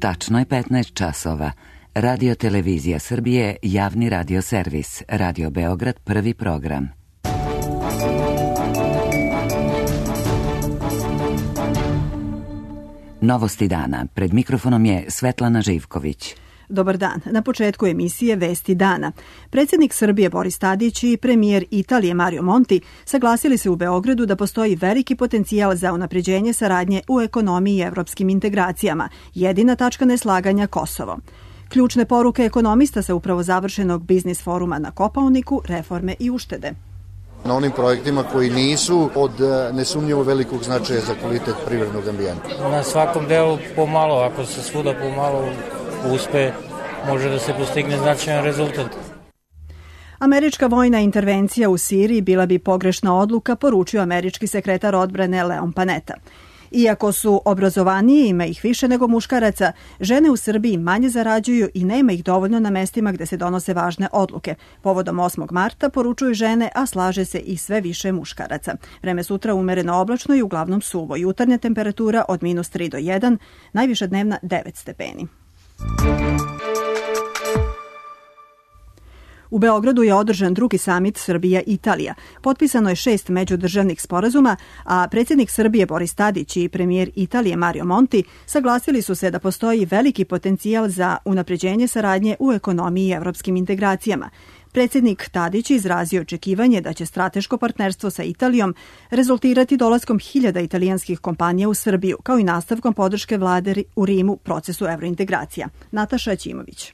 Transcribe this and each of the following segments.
Tačno je 15 časova. Radio Televizija Srbije, javni radio servis. Radio Beograd, prvi program. Novosti dana. Pred mikrofonom je Svetlana Živković. Dobar dan. Na početku emisije Vesti dana. Predsjednik Srbije Boris Tadić i premijer Italije Mario Monti saglasili se u Beogradu da postoji veliki potencijal za unapređenje saradnje u ekonomiji i evropskim integracijama. Jedina tačka neslaganja Kosovo. Ključne poruke ekonomista sa upravo završenog biznis foruma na Kopaoniku, reforme i uštede. Na onim projektima koji nisu od nesumnjivo velikog značaja za kvalitet privrednog ambijenta. Na svakom delu pomalo, ako se svuda pomalo uspe, može da se postigne značajan rezultat. Američka vojna intervencija u Siriji bila bi pogrešna odluka, poručio američki sekretar odbrane Leon Panetta. Iako su obrazovanije, ima ih više nego muškaraca, žene u Srbiji manje zarađuju i nema ih dovoljno na mestima gde se donose važne odluke. Povodom 8. marta poručuju žene, a slaže se i sve više muškaraca. Vreme sutra umereno oblačno i uglavnom suvo. Jutarnja temperatura od -3 do 1, najviša dnevna 9 stepeni. U Beogradu je održan drugi samit Srbija-Italija. Potpisano je 6 međudržavnih sporazuma, a predsjednik Srbije Boris Tadić i premijer Italije Mario Monti saglasili su se da postoji veliki potencijal za unapređenje saradnje u ekonomiji i evropskim integracijama. Predsjednik Tadić izrazio očekivanje da će strateško partnerstvo sa Italijom rezultirati dolaskom 1000 italijanskih kompanija u Srbiju, kao i nastavkom podrške vlade u Rimu procesu evrointegracija. Nataša Ćimović.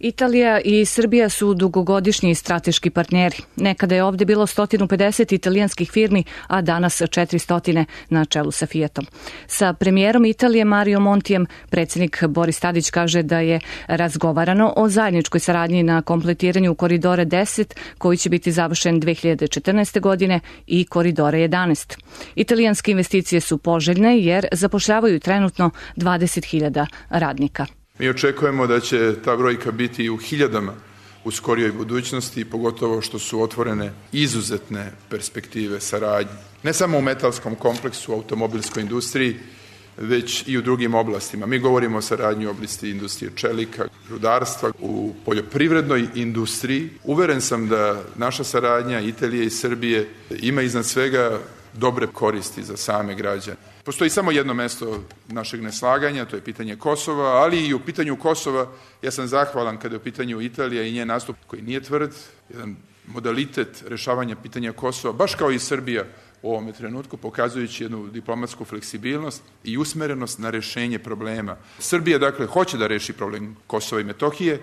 Italija i Srbija su dugogodišnji strateški partneri. Nekada je ovdje bilo 150 italijanskih firmi, a danas 400 na čelu sa Fiatom. Sa premijerom Italije Mario Montijem predsjednik Boris Tadić kaže da je razgovarano o zajedničkoj saradnji na kompletiranju koridora 10, koji će biti završen 2014. godine, i koridora 11. Italijanske investicije su poželjne jer zapošljavaju trenutno 20.000 radnika. Mi očekujemo da će ta brojka biti u hiljadama u skorijoj budućnosti, pogotovo što su otvorene izuzetne perspektive saradnje. Ne samo u metalskom kompleksu, u automobilskoj industriji, već i u drugim oblastima. Mi govorimo o saradnji u oblasti industrije čelika, rudarstva, u poljoprivrednoj industriji. Uveren sam da naša saradnja Italije i Srbije ima iznad svega dobre koristi za same građane. Postoji samo jedno mesto našeg neslaganja, to je pitanje Kosova, ali i u pitanju Kosova ja sam zahvalan kada je u pitanju Italija i njen nastup koji nije tvrd, jedan modalitet rešavanja pitanja Kosova, baš kao i Srbija u ovome trenutku, pokazujući jednu diplomatsku fleksibilnost i usmerenost na rešenje problema. Srbija, dakle, hoće da reši problem Kosova i Metohije,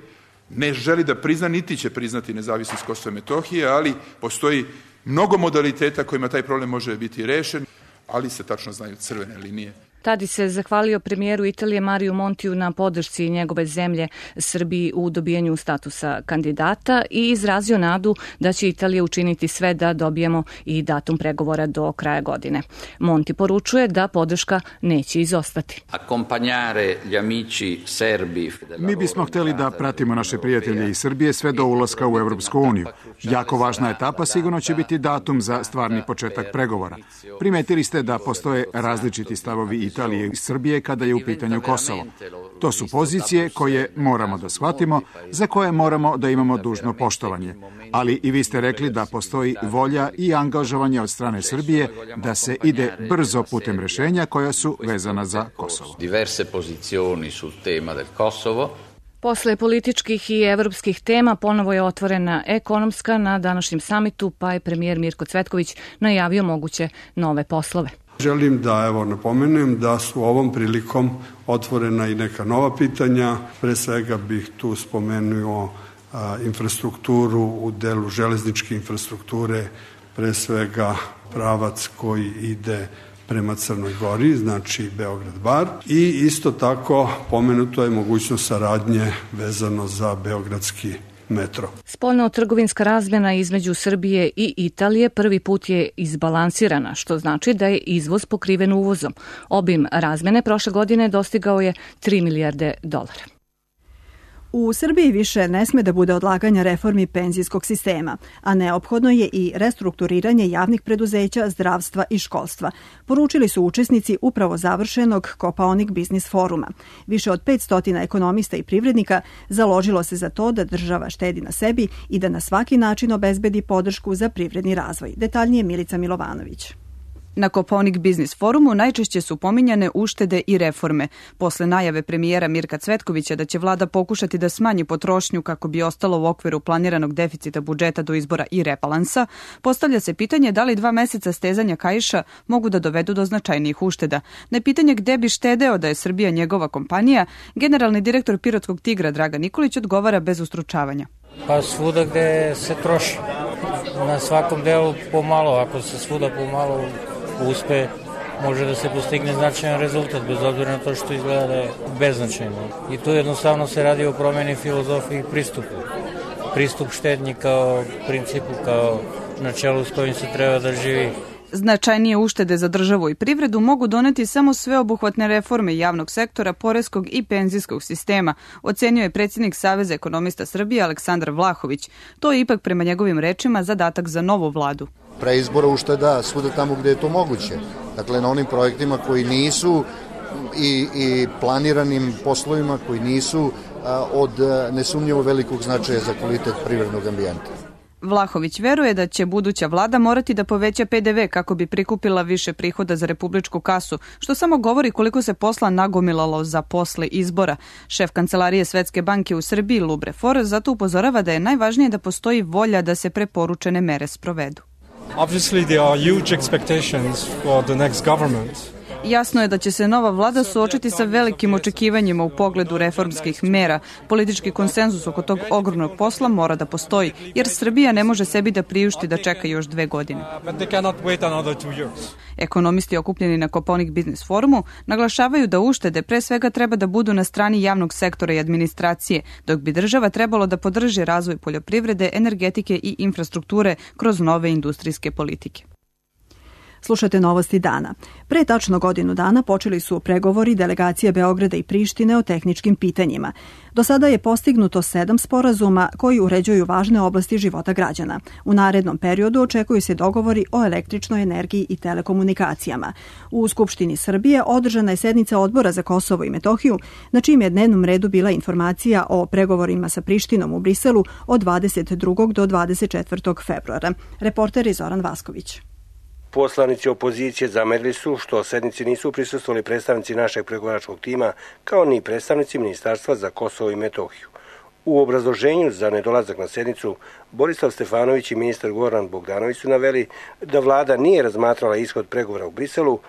ne želi da prizna, niti će priznati nezavisnost Kosova i Metohije, ali postoji mnogo modaliteta kojima taj problem može biti rešen, ali se tačno znaju crvene linije. Tadić se zahvalio premijeru Italije Mariju Montiju na podršci njegove zemlje Srbiji u dobijanju statusa kandidata i izrazio nadu da će Italija učiniti sve da dobijemo i datum pregovora do kraja godine. Monti poručuje da podrška neće izostati. Mi bismo hteli da pratimo naše prijatelje iz Srbije sve do ulaska u Evropsku uniju. Jako važna etapa sigurno će biti datum za stvarni početak pregovora. Primetili ste da postoje različiti stavovi Italije i Srbije kada je u pitanju Kosovo. To su pozicije koje moramo da shvatimo, za koje moramo da imamo dužno poštovanje. Ali i vi ste rekli da postoji volja i angažovanje od strane Srbije da se ide brzo putem rešenja koja su vezana za Kosovo. Posle političkih i evropskih tema ponovo je otvorena ekonomska na današnjem samitu, pa je premijer Mirko Cvetković najavio moguće nove poslove. Želim da napomenem da su ovom prilikom otvorena i neka nova pitanja. Pre svega bih tu spomenuo infrastrukturu u delu železničke infrastrukture, pre svega pravac koji ide prema Crnoj Gori, znači Beograd-Bar. I isto tako pomenuto je mogućnost saradnje vezano za beogradski metro. Spoljno-trgovinska razmjena između Srbije i Italije prvi put je izbalansirana, što znači da je izvoz pokriven uvozom. Obim razmjene prošle godine dostigao je $3 milijarde. U Srbiji više ne sme da bude odlaganja reformi penzijskog sistema, a neophodno je i restrukturiranje javnih preduzeća, zdravstva i školstva, poručili su učesnici upravo završenog Kopaonik biznis foruma. Više od 500 ekonomista i privrednika založilo se za to da država štedi na sebi i da na svaki način obezbedi podršku za privredni razvoj. Detaljnije Milica Milovanović. Na Kopaonik biznis forumu najčešće su pominjane uštede i reforme. Posle najave premijera Mirka Cvetkovića da će vlada pokušati da smanji potrošnju kako bi ostalo u okviru planiranog deficita budžeta do izbora i rebalansa, postavlja se pitanje da li 2 meseca stezanja kaiša mogu da dovedu do značajnijih ušteda. Na pitanje gde bi štedeo da je Srbija njegova kompanija, generalni direktor Pirotskog Tigra Dragan Nikolić odgovara bez ustručavanja. Pa svuda gde se troši. Na svakom delu pomalo, ako se svuda pomalo uspe, može da se postigne značajan rezultat, bez obzira na to što izgleda da je beznačajno. I tu jednostavno se radi o promeni filozofiji i pristupu. Pristup štednji kao principu, kao načelu s kojim se treba da živi. Značajnije uštede za državu i privredu mogu doneti samo sveobuhvatne reforme javnog sektora, poreskog i penzijskog sistema, ocenio je predsjednik Saveza ekonomista Srbije Aleksandar Vlahović. To je ipak prema njegovim rečima zadatak za novu vladu. Preizbora ušteda svuda tamo gde je to moguće. Dakle, na onim projektima koji nisu i planiranim poslovima koji nisu od nesumnjivo velikog značaja za kvalitet privrednog ambijenta. Vlahović veruje da će buduća vlada morati da poveća PDV kako bi prikupila više prihoda za republičku kasu, što samo govori koliko se posla nagomilalo za posle izbora. Šef kancelarije Svetske banke u Srbiji Lubre For zato upozorava da je najvažnije da postoji volja da se preporučene mere sprovedu. Obviously there are huge expectations for the next government. Jasno je da će se nova vlada suočiti sa velikim očekivanjima u pogledu reformskih mera. Politički konsenzus oko tog ogromnog posla mora da postoji, jer Srbija ne može sebi da priušti da čeka još 2 godine. Ekonomisti okupljeni na Kopaonik biznis forumu naglašavaju da uštede pre svega treba da budu na strani javnog sektora i administracije, dok bi država trebalo da podrži razvoj poljoprivrede, energetike i infrastrukture kroz nove industrijske politike. Slušate novosti dana. Pre tačno godinu dana počeli su pregovori delegacije Beograda i Prištine o tehničkim pitanjima. Do sada je postignuto 7 sporazuma koji uređuju važne oblasti života građana. U narednom periodu očekuju se dogovori o električnoj energiji i telekomunikacijama. U Skupštini Srbije održana je sednica Odbora za Kosovo i Metohiju, na čijem je dnevnom redu bila informacija o pregovorima sa Prištinom u Briselu od 22. do 24. februara. Reporter je Zoran Vasković. Poslanici opozicije zamerili su što sednici nisu prisustvovali predstavnici našeg pregovaračkog tima, kao ni predstavnici Ministarstva za Kosovo i Metohiju. U obrazloženju za nedolazak na sednicu, Borislav Stefanović i ministar Goran Bogdanović su naveli da vlada nije razmatrala ishod pregovora u Briselu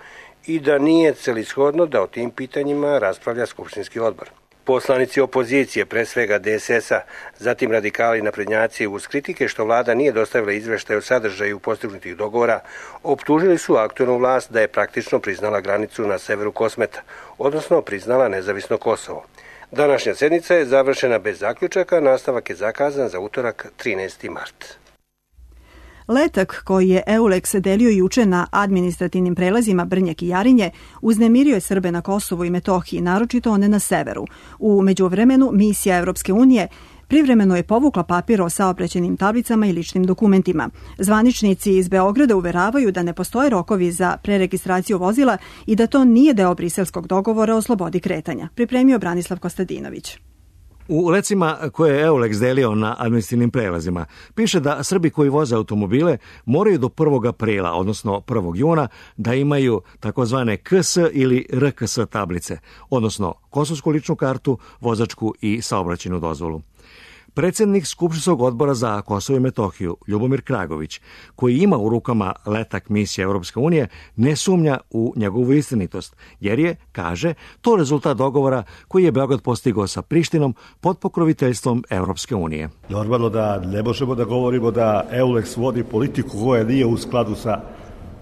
i da nije celishodno da o tim pitanjima raspravlja skupštinski odbor. Poslanici opozicije, pre svega DSS-a, zatim radikali i naprednjaci, uz kritike što vlada nije dostavila izveštaj o sadržaju postignutih dogovora, optužili su aktuelnu vlast da je praktično priznala granicu na severu Kosmeta, odnosno priznala nezavisno Kosovo. Današnja sednica je završena bez zaključaka, nastavak je zakazan za utorak 13. mart. Letak koji je EULEX delio juče na administrativnim prelazima Brnjak i Jarinje uznemirio je Srbe na Kosovu i Metohiji, naročito one na severu. U međuvremenu misija Evropske unije privremeno je povukla papir o saobraćajnim tablicama i ličnim dokumentima. Zvaničnici iz Beograda uveravaju da ne postoje rokovi za preregistraciju vozila i da to nije deo briselskog dogovora o slobodi kretanja, pripremio Branislav Kostadinović. U lecima koje je EULEX delio na administrativnim prelazima piše da Srbi koji voze automobile moraju do 1. aprila, odnosno 1. juna, da imaju takozvane KS ili RKS tablice, odnosno kosovsku ličnu kartu, vozačku i saobraćajnu dozvolu. Predsjednik Skupštinskog odbora za Kosovo i Metohiju, Ljubomir Kragović, koji ima u rukama letak misije Europske unije, ne sumnja u njegovu istinitost, jer je, kaže, to rezultat dogovora koji je Beograd postigao sa Prištinom pod pokroviteljstvom Europske unije. Normalno da ne možemo da govorimo da EULEX vodi politiku koja nije u skladu sa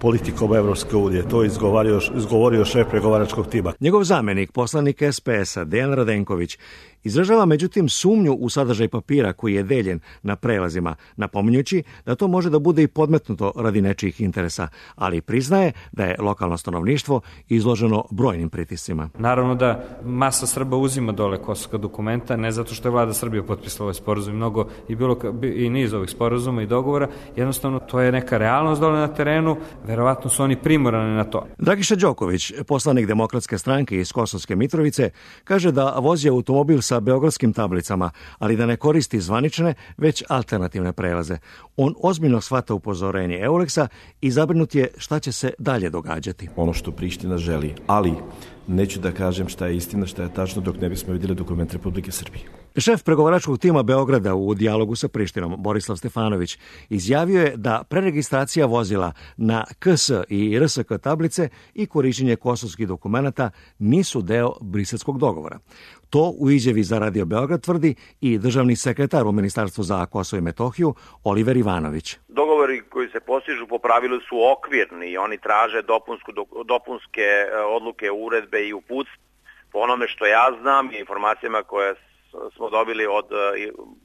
politikom Evropske unije. To je izgovorio šef pregovaračkog tima. Njegov zamenik, poslanik SPS-a, Dejan Radenković, izražava međutim sumnju u sadržaj papira koji je deljen na prelazima, napominjući da to može da bude i podmetnuto radi nečijih interesa, ali priznaje da je lokalno stanovništvo izloženo brojnim pritiscima. Naravno da masa Srba uzima dole kosovska dokumenta, ne zato što je vlada Srbije potpisala ovaj sporazum, mnogo i niz ovih sporazuma i dogovora, jednostavno to je neka realnost dole na terenu, verovatno su oni primorani na to. Dragiša Đoković, poslanik Demokratske stranke iz Kosovske Mitrovice, kaže da vozi automobil sa beogradskim tablicama, ali da ne koristi zvanične, već alternativne prelaze. On ozbiljno shvata upozorenje Euleksa i zabrinut je šta će se dalje događati. Ono što Priština želi, ali neću da kažem šta je istina, šta je tačno dok ne bismo vidjeli dokument Republike Srbije. Šef pregovaračkog tima Beograda u dijalogu sa Prištinom, Borislav Stefanović, izjavio je da preregistracija vozila na KS i RSK tablice i korišćenje kosovskih dokumenata nisu deo briselskog dogovora. To u izjavi za Radio Beograd tvrdi i državni sekretar u Ministarstvu za Kosovo i Metohiju, Oliver Ivanović. Dogovori koji se postižu po pravilu su okvirni i oni traže dopunske odluke, uredbe i uputstva. Po onome što ja znam i informacijama koje smo dobili od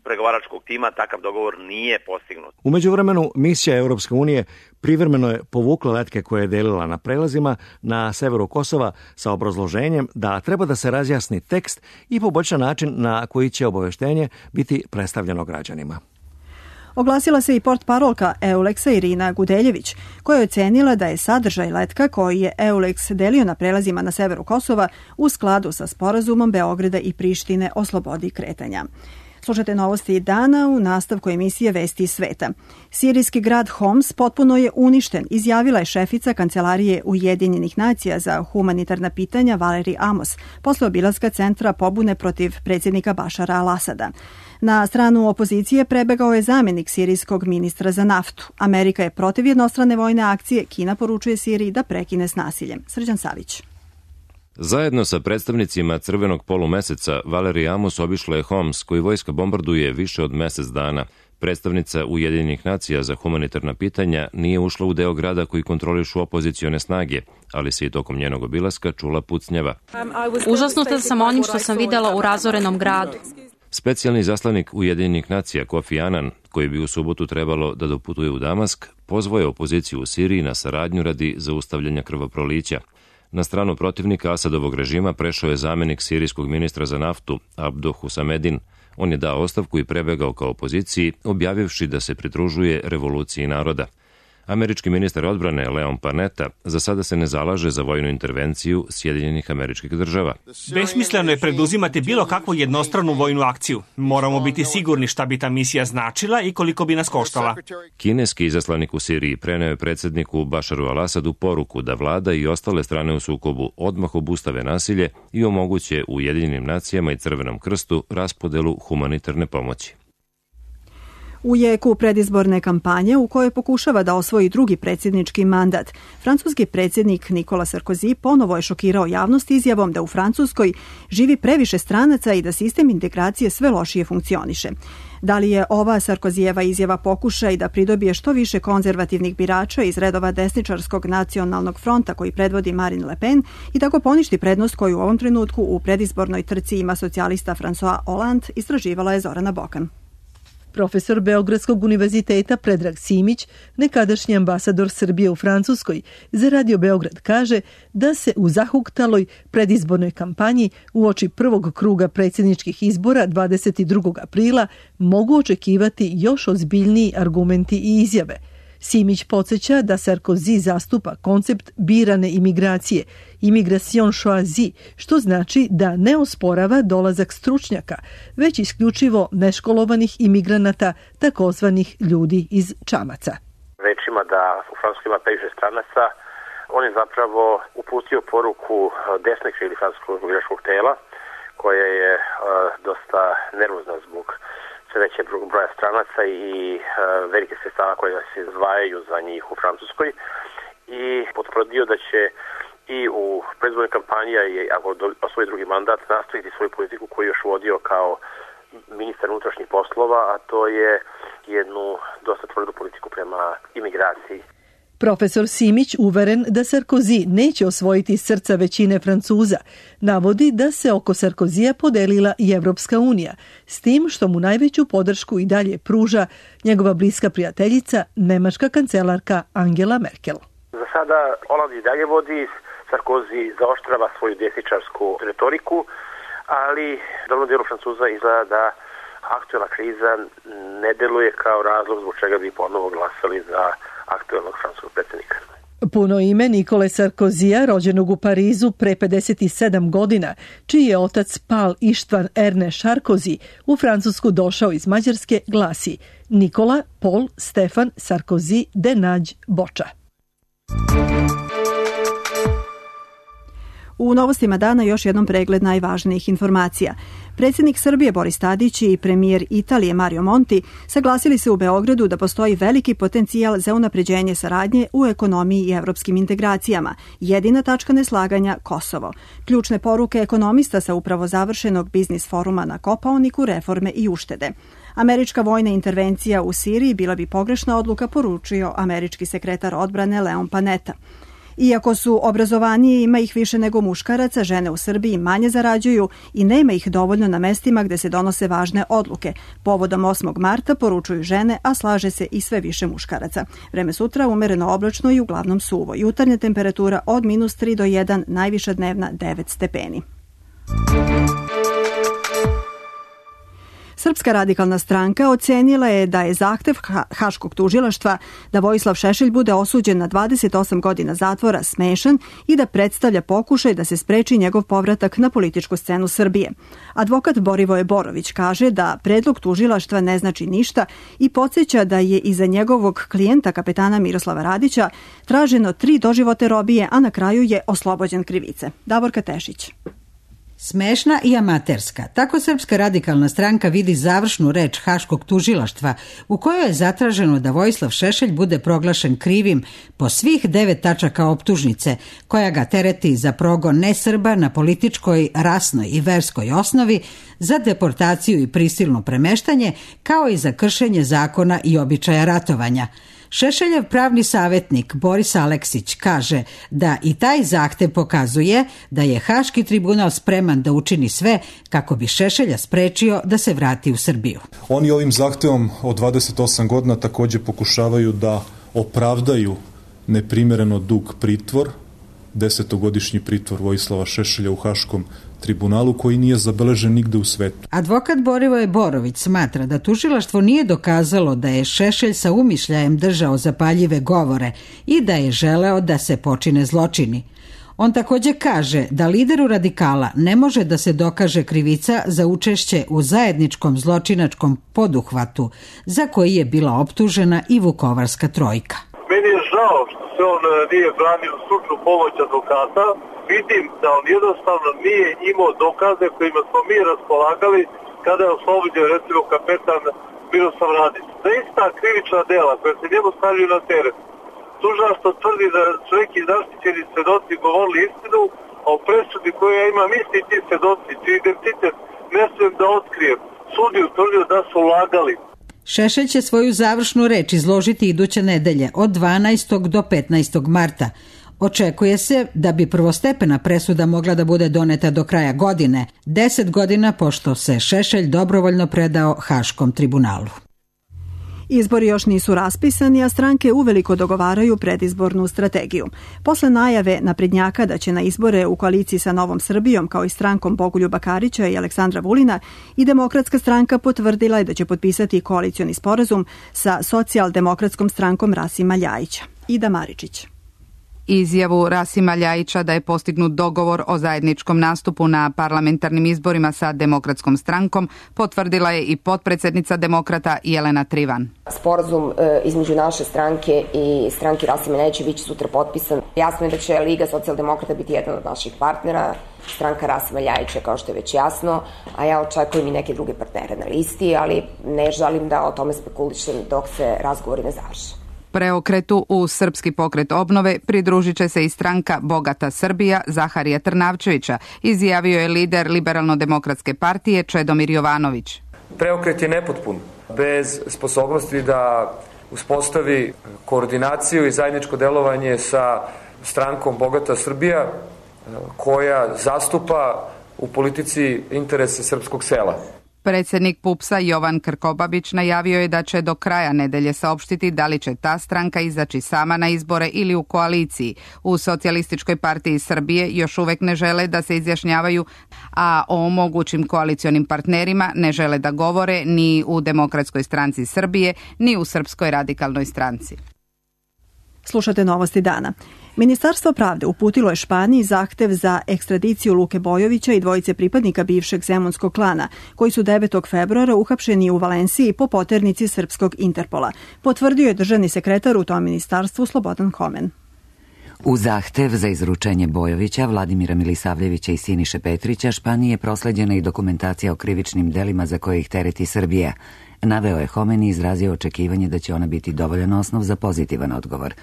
pregovaračkog tima, takav dogovor nije postignut. U međuvremenu, misija Europske unije privremeno je povukla letke koje je delila na prelazima na severu Kosova sa obrazloženjem da treba da se razjasni tekst i poboljša način na koji će obaveštenje biti predstavljeno građanima. Oglasila se i portparolka Euleksa Irina Gudeljević, koja je ocenila da je sadržaj letka koji je Euleks delio na prelazima na severu Kosova u skladu sa sporazumom Beograda i Prištine o slobodi kretanja. Slušajte novosti dana u nastavku emisije Vesti iz sveta. Sirijski grad Homs potpuno je uništen, izjavila je šefica Kancelarije Ujedinjenih nacija za humanitarna pitanja Valeri Amos posle obilaska centra pobune protiv predsjednika Bašara al-Asada. Na stranu opozicije prebegao je zamjenik sirijskog ministra za naftu. Amerika je protiv jednostrane vojne akcije, Kina poručuje Siriji da prekine s nasiljem. Srđan Savić. Zajedno sa predstavnicima Crvenog polumeseca, Valeri Amos obišla je Homs, koji vojska bombarduje više od mesec dana. Predstavnica Ujedinjenih nacija za humanitarna pitanja nije ušla u deo grada koji kontrolišu opozicione snage, ali se i tokom njenog obilaska čula pucnjava. Užasnuta sam onim što sam videla u razorenom gradu. Specijalni zaslanik Ujedinjenih nacija Kofi Annan, koji bi u subotu trebalo da doputuje u Damask, pozvao je opoziciju u Siriji na saradnju radi zaustavljanja krvoprolića. Na stranu protivnika Asadovog režima prešao je zamjenik sirijskog ministra za naftu Abdo Husamedin. On je dao ostavku i prebegao kao opoziciji, objavivši da se pridružuje revoluciji naroda. Američki ministar odbrane Leon Panetta za sada se ne zalaže za vojnu intervenciju Sjedinjenih Američkih Država. Besmisleno je preduzimati bilo kakvu jednostranu vojnu akciju. Moramo biti sigurni šta bi ta misija značila i koliko bi nas koštala. Kineski izaslanik u Siriji preneo je predsjedniku Bašaru al-Asadu poruku da vlada i ostale strane u sukobu odmah obustave nasilje i omoguće Ujedinjenim nacijama i Crvenom krstu raspodelu humanitarne pomoći. U jeku predizborne kampanje u kojoj pokušava da osvoji drugi predsjednički mandat, francuski predsjednik Nikola Sarkozy ponovo je šokirao javnost izjavom da u Francuskoj živi previše stranaca i da sistem integracije sve lošije funkcioniše. Da li je ova Sarkozijeva izjava pokušaj da pridobije što više konzervativnih birača iz redova desničarskog nacionalnog fronta koji predvodi Marine Le Pen i tako poništi prednost koju u ovom trenutku u predizbornoj trci ima socijalista François Hollande, istraživala je Zorana Bokan. Profesor Beogradskog univerziteta Predrag Simić, nekadašnji ambasador Srbije u Francuskoj, za Radio Beograd kaže da se u zahuktaloj predizbornoj kampanji uoči prvog kruga predsjedničkih izbora 22. aprila mogu očekivati još ozbiljniji argumenti i izjave. Simić podsjeća da Sarkozy zastupa koncept birane imigracije, immigration choisie, što znači da ne osporava dolazak stručnjaka, već isključivo neškolovanih imigranata, takozvanih ljudi iz čamaca. Rečima da u Francuskoj ima previše stranaca, on je zapravo uputio poruku desnog ili francuskog biračkog tela, koja je dosta nervozna zbog sve veće broja stranaca i velike sredstava koje se izdvajaju za njih u Francuskoj i potvrdio da će i u predizbornoj kampanji, ako osvoji drugi mandat, nastaviti svoju politiku koju je još vodio kao ministar unutrašnjih poslova, a to je jednu dosta tvrdu politiku prema imigraciji. Profesor Simić, uveren da Sarkozy neće osvojiti srca većine Francuza, navodi da se oko Sarkozija podelila i Evropska unija, s tim što mu najveću podršku i dalje pruža njegova bliska prijateljica, nemačka kancelarka Angela Merkel. Za sada Hollande i dalje vodi, Sarkozy zaoštrava svoju desničarsku retoriku, ali dobrom dijelu Francuza izgleda da aktuelna kriza ne deluje kao razlog zbog čega bi ponovo glasali za aktuelnog francuskog predsjednika. Puno ime Nikole Sarkozija, rođenog u Parizu pre 57 godina, čiji je otac Paul Istvan Ernest Sarkozy u Francusku došao iz Mađarske, glasi Nikola Paul Stefan Sarkozy de Nađ Boča. U novostima dana još jednom pregled najvažnijih informacija. Predsjednik Srbije Boris Tadić i premijer Italije Mario Monti saglasili se u Beogradu da postoji veliki potencijal za unapređenje saradnje u ekonomiji i evropskim integracijama. Jedina tačka neslaganja Kosovo. Ključne poruke ekonomista sa upravo završenog biznis foruma na Kopaoniku, reforme i uštede. Američka vojna intervencija u Siriji bila bi pogrešna odluka, poručio američki sekretar odbrane Leon Panetta. Iako su obrazovanije, ima ih više nego muškaraca, žene u Srbiji manje zarađuju i nema ih dovoljno na mestima gde se donose važne odluke. Povodom 8. marta poručuju žene, a slaže se i sve više muškaraca. Vreme sutra umereno oblačno i uglavnom suvo. Jutarnja temperatura od -3 do 1, najviša dnevna 9 stepeni. Srpska radikalna stranka ocenila je da je zahtev Haškog tužilaštva da Vojislav Šešelj bude osuđen na 28 godina zatvora smešan i da predstavlja pokušaj da se spreči njegov povratak na političku scenu Srbije. Advokat Borivoje Borović kaže da predlog tužilaštva ne znači ništa i podsjeća da je iza njegovog klijenta kapetana Miroslava Radića traženo 3 doživote robije, a na kraju je oslobođen krivice. Davorka Tešić. Smešna i amaterska. Tako Srpska radikalna stranka vidi završnu reč Haškog tužilaštva u kojoj je zatraženo da Vojislav Šešelj bude proglašen krivim po svih 9 tačaka optužnice koja ga tereti za progon nesrba na političkoj, rasnoj i verskoj osnovi, za deportaciju i prisilno premeštanje, kao i za kršenje zakona i običaja ratovanja. Šešeljev pravni savjetnik Boris Aleksić kaže da i taj zahtev pokazuje da je Haški tribunal spreman da učini sve kako bi Šešelja sprečio da se vrati u Srbiju. Oni ovim zahtevom od 28 godina također pokušavaju da opravdaju neprimjereno dug pritvor, 10-godišnji pritvor Vojislava Šešelja u Haškom tribunalu koji nije zabeležen nigde u svetu. Advokat Borivoje Borović smatra da tužilaštvo nije dokazalo da je Šešelj sa umišljajem držao zapaljive govore i da je želeo da se počine zločini. On također kaže da lideru radikala ne može da se dokaže krivica za učešće u zajedničkom zločinačkom poduhvatu za koji je bila optužena i Vukovarska trojka. Meni je žao što se on nije branio stručnu pomoć advokata. Vidim da on jednostavno nije imao dokaze kojima smo mi raspolagali kada je oslobođen recimo kapetan Miroslav Radić. Za ista krivična dela koja se njemu stavljaju na teret, tužilaštvo tvrdi da su neki zaštićeni svedoci govorili istinu, a u presudi koju ja imam isti ti svedoci, čiji identitet ne smijem da otkrijem, sud je utvrdio da su lagali. Šešelj će svoju završnu reč izložiti iduće nedelje od 12. do 15. marta. Očekuje se da bi prvostepena presuda mogla da bude doneta do kraja godine, 10 godina pošto se Šešelj dobrovoljno predao Haškom tribunalu. Izbori još nisu raspisani, a stranke uveliko dogovaraju predizbornu strategiju. Posle najave naprednjaka da će na izbore u koaliciji sa Novom Srbijom, kao i strankom Bogoljuba Karića i Aleksandra Vulina, i Demokratska stranka potvrdila je da će potpisati koalicioni sporazum sa Socijaldemokratskom strankom Rasima Ljajića. Ida Maričić. Izjavu Rasima Ljajića da je postignut dogovor o zajedničkom nastupu na parlamentarnim izborima sa Demokratskom strankom potvrdila je i potpredsjednica Demokrata Jelena Trivan. Sporazum između naše stranke i stranke Rasima Ljajića biće sutra potpisan. Jasno je da će Liga socijaldemokrata biti jedan od naših partnera, stranka Rasima Ljajića kao što je već jasno, a ja očekujem i neke druge partnere na listi, ali ne želim da o tome spekulišem dok se razgovori ne završe. Preokretu u Srpski pokret obnove pridružit će se i stranka Bogata Srbija Zaharija Trnavčevića, izjavio je lider Liberalno-demokratske partije Čedomir Jovanović. Preokret je nepotpun, bez sposobnosti da uspostavi koordinaciju i zajedničko delovanje sa strankom Bogata Srbija koja zastupa u politici interese srpskog sela. Predsjednik PUPS-a Jovan Krkobabić najavio je da će do kraja nedelje saopštiti da li će ta stranka izaći sama na izbore ili u koaliciji. U Socijalističkoj partiji Srbije još uvek ne žele da se izjašnjavaju, a o mogućim koalicionim partnerima ne žele da govore ni u Demokratskoj stranci Srbije, ni u Srpskoj radikalnoj stranci. Slušate Novosti dana. Ministarstvo pravde uputilo je Španiji zahtev za ekstradiciju Luke Bojovića i dvojice pripadnika bivšeg zemunskog klana, koji su 9. februara uhapšeni u Valenciji po poternici srpskog Interpola. Potvrdio je državni sekretar u tom ministarstvu Slobodan Homen. U zahtev za izručenje Bojovića, Vladimira Milisavljevića i Siniše Petrića Španiji je prosleđena i dokumentacija o krivičnim delima za koje ih tereti Srbija. Naveo je Homen i izrazio očekivanje da će ona biti dovoljan osnov za pozitivan odgovor.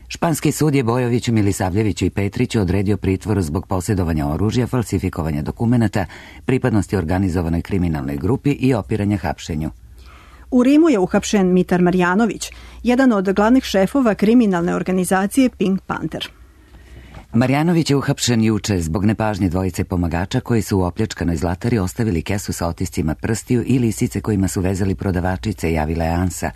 Španski sud je Bojoviću, Milisavljeviću i Petriću odredio pritvor zbog posjedovanja oružja, falsifikovanja dokumenata, pripadnosti organizovanoj kriminalnoj grupi i opiranja hapšenju. U Rimu je uhapšen Mitar Marjanović, jedan od glavnih šefova kriminalne organizacije Pink Panther. Marjanović je uhapšen juče zbog nepažnje dvojice pomagača koji su u opljačkanoj zlatari ostavili kesu sa otiscima prstiju i lisice kojima su vezali prodavačice, javila je ANSA.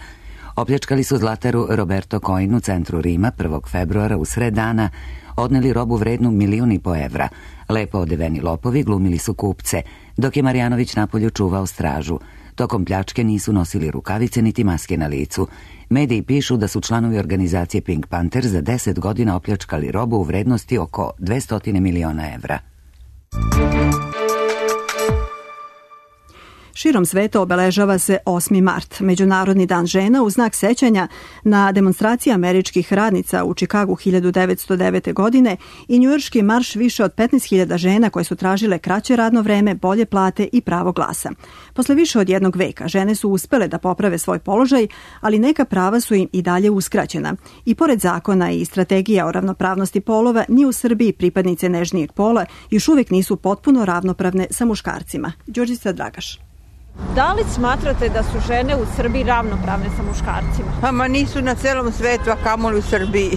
Opljačkali su zlataru Roberto Coin u centru Rima 1. februara u sred dana, odneli robu vrednu 1,5 miliona evra. Lepo odeveni lopovi glumili su kupce, dok je Marjanović napolju čuvao stražu. Tokom pljačke nisu nosili rukavice niti maske na licu. Mediji pišu da su članovi organizacije Pink Panther za 10 godina opljačkali robu u vrednosti oko 200 miliona evra. Širom sveta obeležava se 8. mart, Međunarodni dan žena, u znak sećanja na demonstracije američkih radnica u Čikagu 1909. godine i njujorški marš više od 15.000 žena koje su tražile kraće radno vreme, bolje plate i pravo glasa. Posle više od jednog veka žene su uspele da poprave svoj položaj, ali neka prava su im i dalje uskraćena. I pored zakona i strategija o ravnopravnosti polova, ni u Srbiji pripadnice nežnijeg pola još uvijek nisu potpuno ravnopravne sa muškarcima. Đurđica Dragaš. Da li smatrate da su žene u Srbiji ravnopravne sa muškarcima? Ma nisu na celom svetu, a kamoli u Srbiji.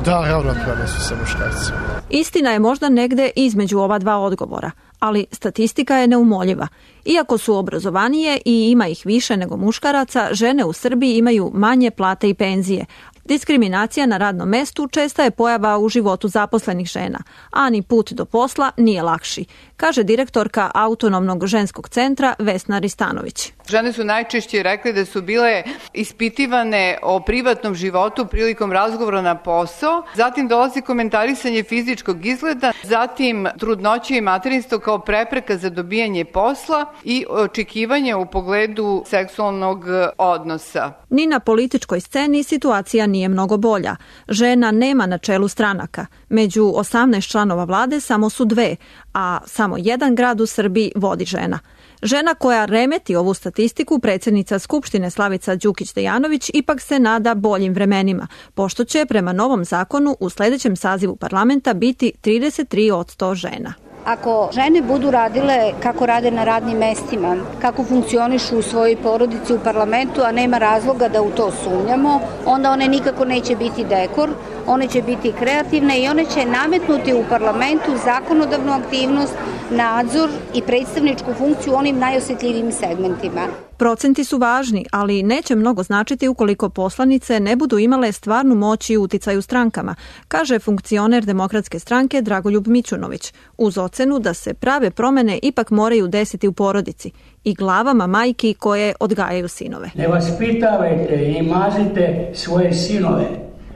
Da, ravnopravne su sa muškarcima. Istina je možda negde između ova dva odgovora, ali statistika je neumoljiva. Iako su obrazovanije i ima ih više nego muškaraca, žene u Srbiji imaju manje plate i penzije. Diskriminacija na radnom mestu česta je pojava u životu zaposlenih žena, a ni put do posla nije lakši, kaže direktorka Autonomnog ženskog centra Vesna Ristanović. Žene su najčešće rekli da su bile ispitivane o privatnom životu prilikom razgovora na posao, zatim dolazi komentarisanje fizičkog izgleda, zatim trudnoće i materinstvo kao prepreka za dobijanje posla i očekivanje u pogledu seksualnog odnosa. Ni na političkoj sceni situacija nije mnogo bolja. Žena nema na čelu stranaka. Među 18 članova vlade samo su 2, a samo jedan grad u Srbiji vodi žena. Žena koja remeti ovu statistiku, predsjednica Skupštine Slavica Đukić-Dejanović, ipak se nada boljim vremenima, pošto će prema novom zakonu u sljedećem sazivu parlamenta biti 33% žena. Ako žene budu radile kako rade na radnim mestima, kako funkcionišu u svojoj porodici u parlamentu, a nema razloga da u to sumnjamo, onda one nikako neće biti dekor, one će biti kreativne i one će nametnuti u parlamentu zakonodavnu aktivnost, nadzor i predstavničku funkciju u onim najosjetljivijim segmentima. Procenti su važni, ali neće mnogo značiti ukoliko poslanice ne budu imale stvarnu moć i uticaj u strankama, kaže funkcioner Demokratske stranke Dragoljub Mićunović, uz ocenu da se prave promene ipak moraju desiti u porodici i glavama majki koje odgajaju sinove. Ne vaspitavajte i mazite svoje sinove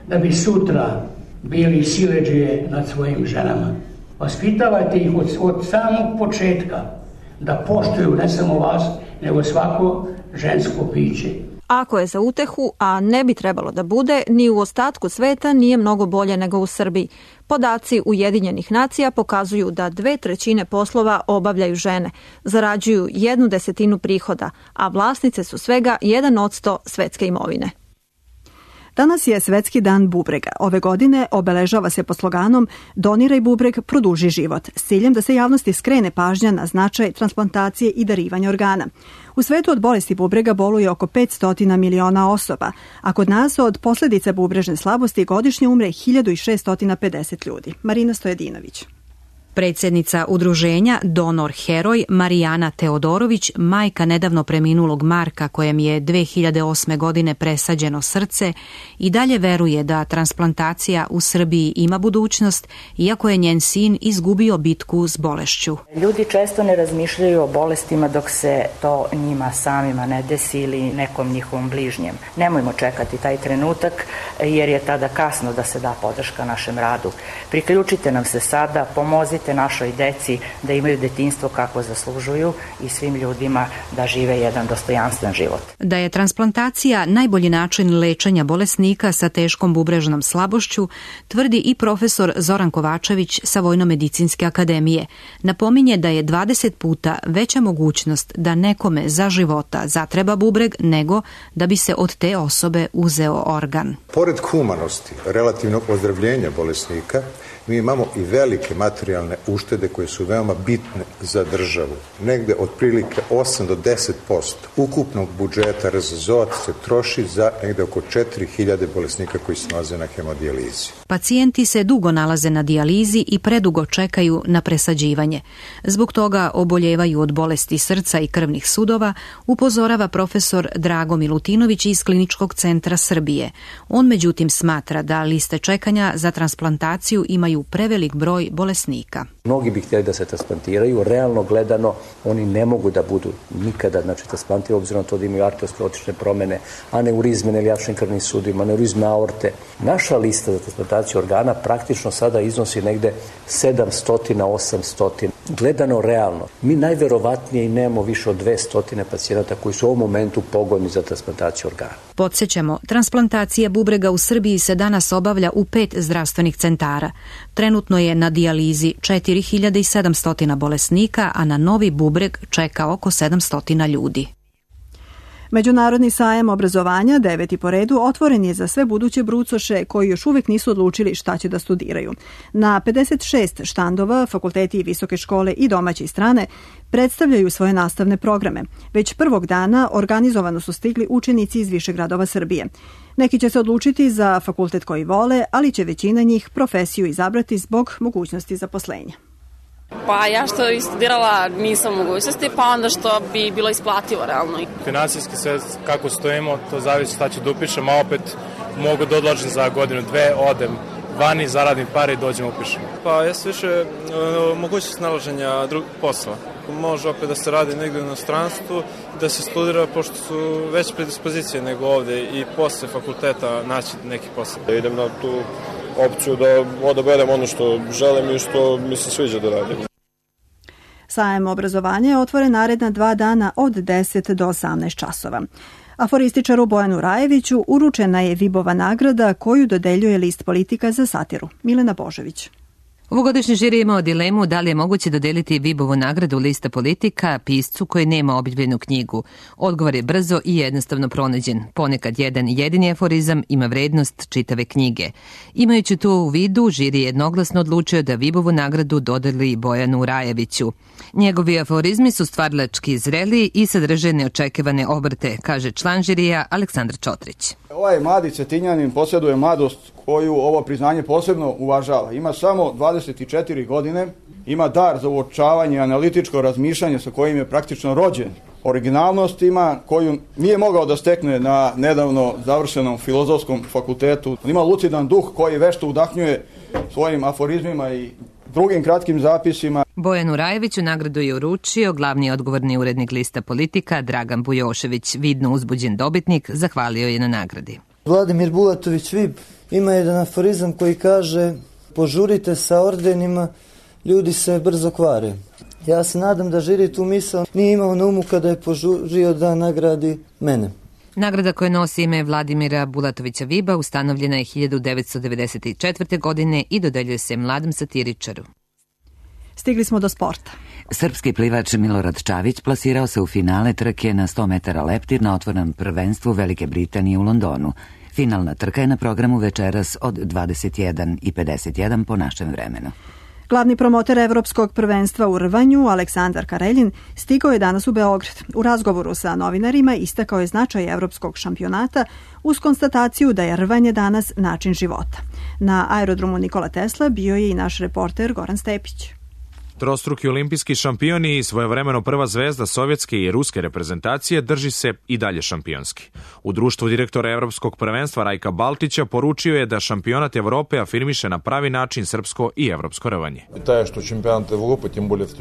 da bi sutra bili siledžije nad svojim ženama. Vaspitavajte ih od samog početka da poštuju ne samo vas, nego svako žensko biće. Ako je za utehu, a ne bi trebalo da bude, ni u ostatku sveta nije mnogo bolje nego u Srbiji. Podaci Ujedinjenih nacija pokazuju da 2/3 poslova obavljaju žene, zarađuju 1/10 prihoda, a vlasnice su svega 1% svetske imovine. Danas je Svetski dan bubrega. Ove godine obeležava se po sloganom Doniraj bubreg, produži život, s ciljem da se javnosti skrene pažnja na značaj transplantacije i darivanja organa. U svetu od bolesti bubrega boluje oko 500 miliona osoba, a kod nas od posljedica bubrežne slabosti godišnje umre 1650 ljudi. Marina Stojedinović. Predsjednica udruženja Donor Heroj Marijana Teodorović, majka nedavno preminulog Marka kojem je 2008. godine presađeno srce, i dalje veruje da transplantacija u Srbiji ima budućnost, iako je njen sin izgubio bitku s bolešću. Ljudi često ne razmišljaju o bolestima dok se to njima samima ne desi ili nekom njihovom bližnjem. Nemojmo čekati taj trenutak jer je tada kasno da se da podrška našem radu. Priključite nam se sada, pomozite našoj deci da imaju detinjstvo kako zaslužuju i svim ljudima da žive jedan dostojanstven život. Da je transplantacija najbolji način lečenja bolesnika sa teškom bubrežnom slabošću, tvrdi i profesor Zoran Kovačević sa Vojno-medicinske akademije. Napominje da je 20 puta veća mogućnost da nekome za života zatreba bubreg nego da bi se od te osobe uzeo organ. Pored humanosti, relativnog ozdravljenja bolesnika, mi imamo i velike materijalne uštede koje su veoma bitne za državu. Negde otprilike 8 do 10% ukupnog budžeta RZZO se troši za negde oko 4000 bolesnika koji se nalaze na hemodijalizi. Pacijenti se dugo nalaze na dijalizi i predugo čekaju na presađivanje. Zbog toga oboljevaju od bolesti srca i krvnih sudova, upozorava profesor Drago Milutinović iz Kliničkog centra Srbije. On međutim smatra da liste čekanja za transplantaciju imaju prevelik broj bolesnika. Mnogi bi htjeli da se transplantiraju, realno gledano oni ne mogu da budu nikada transplantirani obzirom na to da imaju arteriosklerotične promjene, aneurizme na iliačnim krvnim sudovima, aneurizme aorte. Naša lista za transplantaciju organa praktično sada iznosi negde 700-800. Gledano realno, mi najverovatnije i nemamo više od 200 pacijenata koji su u ovom momentu pogodni za transplantaciju organa. Podsjećamo, transplantacija bubrega u Srbiji se danas obavlja u 5 zdravstvenih centara. Trenutno je na dijalizi 4700 bolesnika, a na novi bubreg čeka oko 700 ljudi. Međunarodni sajam obrazovanja, 9. po redu, otvoren je za sve buduće brucoše koji još uvijek nisu odlučili šta će da studiraju. Na 56 štandova fakulteti i visoke škole i domaće i strane predstavljaju svoje nastavne programe. Već prvog dana organizovano su stigli učenici iz više gradova Srbije. Neki će se odlučiti za fakultet koji vole, ali će većina njih profesiju izabrati zbog mogućnosti zaposlenja. Pa ja što i studirala nisam mogućnosti, pa onda što bi bilo isplativo realno. Finansijski sve kako stojimo, to zavisi šta ću da upišem, a opet mogu da odložim za godinu, dve, odem vani, zaradim pare i dođem upišem. Pa ja se više mogućnost nalaženja posla. Može opet da se radi negdje u inostranstvu, da se studira, pošto su veće predispozicije nego ovdje i posle fakulteta naći neki posao. Da idem na tu opciju da odaberem ono što želim i što mi se sviđa da radim. Sajam obrazovanja je otvoren naredna 2 dana od 10 do 18 časova. Aforističaru Bojanu Rajeviću uručena je Vibova nagrada koju dodeljuje list Politika za satiru. Milena Božević. Ovogodišnji žiri je imao dilemu da li je moguće dodeliti Vibovu nagradu lista Politika piscu koji nema objavljenu knjigu. Odgovor je brzo i jednostavno pronađen. Ponekad jedan jedini aforizam ima vrednost čitave knjige. Imajući to u vidu, žiri je jednoglasno odlučio da Vibovu nagradu dodeli Bojanu Rajeviću. Njegovi aforizmi su stvarlački zreli i sadrže neočekivane obrte, kaže član žirija Aleksandar Čotrić. Ovaj mladi Cetinjanin posjeduje mladost koju ovo priznanje posebno uvažava. Ima samo 24 godine, ima dar za uočavanje i analitičko razmišljanje sa kojim je praktično rođen. Originalnost ima koju nije mogao da stekne na nedavno završenom filozofskom fakultetu. Ima lucidan duh koji vešto udahnjuje svojim aforizmima i drugim kratkim zapisima. Bojanu Rajeviću nagradu je uručio glavni odgovorni urednik lista Politika Dragan Bujošević. Vidno uzbuđen dobitnik zahvalio je na nagradi. Vladimir Bulatović-Vib ima jedan aforizam koji kaže: požurite sa ordenima, ljudi se brzo kvare. Ja se nadam da žiri tu misao nije imao na umu kada je požurio da nagradi mene. Nagrada koja nosi ime Vladimira Bulatovića-Viba ustanovljena je 1994. godine i dodeljuje se mladom satiričaru. Stigli smo do sporta. Srpski plivač Milorad Čavić plasirao se u finale trke na 100 metara leptir na otvorenom prvenstvu Velike Britanije u Londonu. Finalna trka je na programu večeras od 21:51 po našem vremenu. Glavni promoter Evropskog prvenstva u rvanju, Aleksandar Kareljin, stigao je danas u Beograd. U razgovoru sa novinarima istakao je značaj evropskog šampionata uz konstataciju da je rvanje danas način života. Na aerodromu Nikola Tesla bio je i naš reporter Goran Stepić. Trostruki olimpijski šampioni i svojevremeno prva zvezda sovjetske i ruske reprezentacije drži se i dalje šampionski. U društvu direktora Evropskog prvenstva Rajka Baltića poručio je da šampionat Evrope afirmiše na pravi način srpsko i evropsko rvanje.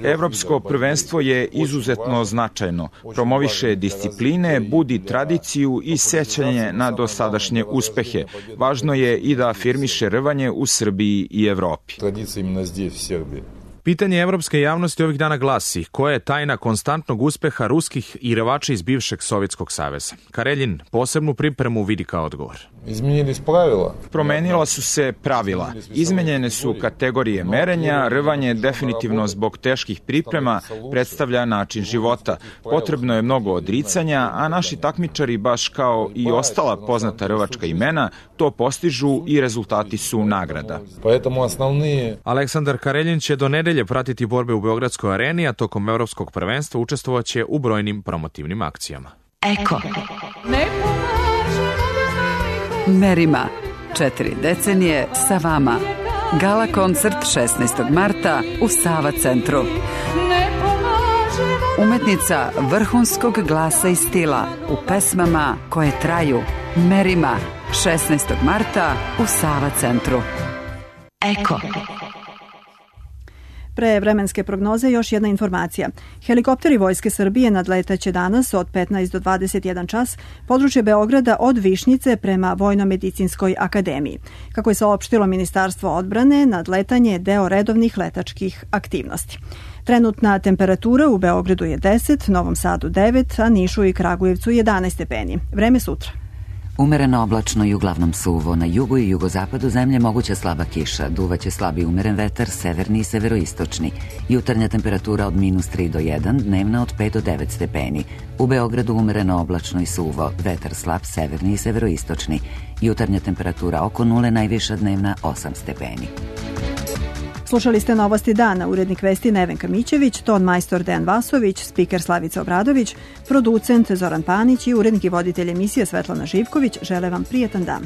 Evropsko prvenstvo je izuzetno značajno. Promoviše discipline, budi tradiciju i sećanje na dosadašnje uspehe. Važno je i da afirmiše rvanje u Srbiji i Evropi. Pitanje evropske javnosti ovih dana glasi: koja je tajna konstantnog uspeha ruskih i rvača iz bivšeg Sovjetskog saveza? Kareljin posebnu pripremu vidi kao odgovor. Promenila su se pravila. Izmenjene su kategorije merenja, rvanje definitivno zbog teških priprema predstavlja način života. Potrebno je mnogo odricanja, a naši takmičari, baš kao i ostala poznata rvačka imena, to postižu i rezultati su nagrada. Aleksandar Kareljin će do nedelje pratiti borbe u Beogradskoj areni, a tokom Evropskog prvenstva učestvovaće u brojnim promotivnim akcijama. Eko. Merima. 4 decenije sa vama. Gala koncert 16. marta u Sava centru. Umetnica vrhunskog glasa i stila u pesmama koje traju. Merima. 16. marta u Sava centru. Eko. Pre vremenske prognoze još jedna informacija. Helikopteri Vojske Srbije nadletaće danas od 15 do 21 čas područje Beograda od Višnjice prema Vojno-medicinskoj akademiji. Kako je saopštilo Ministarstvo odbrane, nadletanje je deo redovnih letačkih aktivnosti. Trenutna temperatura u Beogradu je 10, Novom Sadu 9, a Nišu i Kragujevcu 11 stepeni. Vreme sutra. Umereno oblačno i uglavnom suvo. Na jugu i jugozapadu zemlje moguća slaba kiša. Duvaće slab i umeren vetar, severni i severoistočni. Jutarnja temperatura od -3 do 1, dnevna od 5 do 9 stepeni. U Beogradu umereno oblačno i suvo. Vetar slab, severni i severoistočni. Jutarnja temperatura oko 0, najviša dnevna 8 stepeni. Slušali ste Novosti dana, urednik vesti Nevenka Mićević, ton majstor Dejan Vasović, spiker Slavica Obradović, producent Zoran Panić i urednik i voditelj emisije Svetlana Živković žele vam prijetan dan.